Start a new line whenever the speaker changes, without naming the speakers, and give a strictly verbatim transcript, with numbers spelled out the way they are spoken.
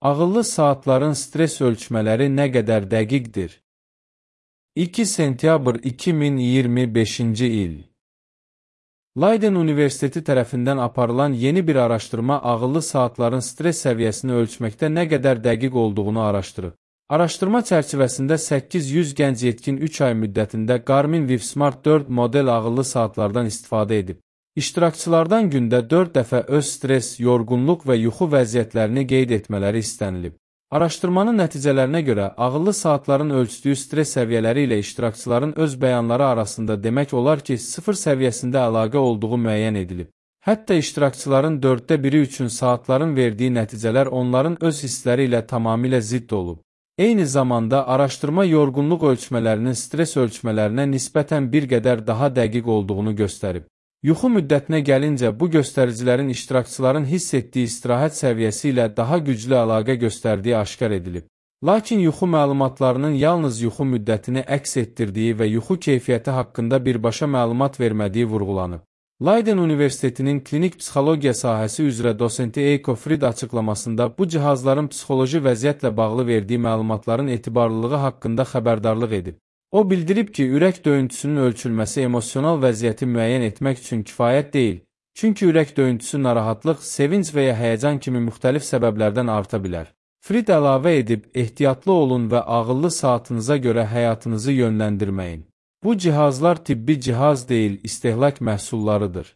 Ağıllı saatların stres ölçmələri nə qədər dəqiqdir? iki sentyabr iki min iyirmi beşinci il. Leiden Universiteti tərəfindən aparılan yeni bir araşdırma ağıllı saatların stres səviyyəsini ölçməkdə nə qədər dəqiq olduğunu araşdırır. Araşdırma çərçivəsində səkkiz yüz gənc yetkin üç ay müddətində Garmin Vivsmart dörd model ağıllı saatlardan istifadə edib. İştirakçılardan gündə dörd dəfə öz stres, yorğunluq və yuxu vəziyyətlərini qeyd etmələri istənilib. Araşdırmanın nəticələrinə görə ağıllı saatların ölçdüyü stres səviyyələri ilə iştirakçıların öz bəyanları arasında demək olar ki, sıfır səviyyəsində əlaqə olduğu müəyyən edilib. Hətta iştirakçıların dörddə biri üçün saatların verdiyi nəticələr onların öz hissləri ilə tamamilə zidd olub. Eyni zamanda araşdırma yorğunluq ölçmələrinin stres ölçmələrinə nisbətən bir qədər daha dəqiq olduğunu göstərib. Yuxu müddətinə gəlincə, bu göstəricilərin iştirakçıların hiss etdiyi istirahət səviyyəsi ilə daha güclü əlaqə göstərdiyi aşkar edilib. Lakin yuxu məlumatlarının yalnız yuxu müddətini əks etdirdiyi və yuxu keyfiyyəti haqqında birbaşa məlumat vermədiyi vurğulanıb. Leiden Universitetinin klinik psixologiya sahəsi üzrə dosenti Eiko Fried açıqlamasında bu cihazların psixoloji vəziyyətlə bağlı verdiyi məlumatların etibarlılığı haqqında xəbərdarlıq edib. O bildirib ki, ürək döyüntüsünün ölçülməsi emosional vəziyyəti müəyyən etmək üçün kifayət deyil, çünki ürək döyüntüsü narahatlıq, sevinc və ya həyəcan kimi müxtəlif səbəblərdən arta bilər. Fried əlavə edib, ehtiyatlı olun və ağıllı saatınıza görə həyatınızı yönləndirməyin. Bu cihazlar tibbi cihaz deyil, istehlak məhsullarıdır.